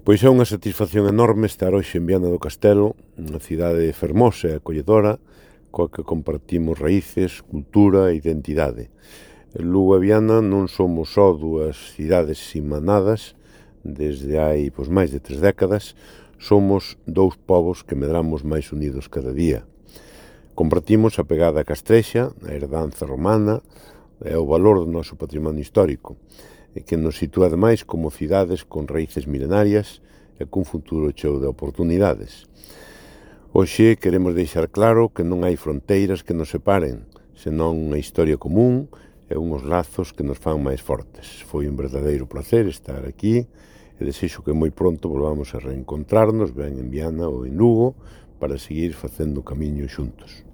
Pois é unha satisfacción enorme estar hoxe en Viana do Castelo, unha cidade fermosa e acolledora, coa que compartimos raíces, cultura e identidade. Lugo e Viana non somos só dúas cidades simanadas desde hai máis de 3 décadas, somos dous povos que medramos máis unidos cada día. Compartimos a pegada castrexa, a herdanza romana e o valor do noso patrimonio histórico, e que nos sitúa ademais como cidades con raíces milenarias e cun futuro cheo de oportunidades. Hoxe queremos deixar claro que non hai fronteiras que nos separen, senón unha historia común e unhos lazos que nos fan máis fortes. Foi un verdadeiro placer estar aquí e desexo que moi pronto volvamos a reencontrarnos ben en Viana ou en Lugo para seguir facendo camiño xuntos.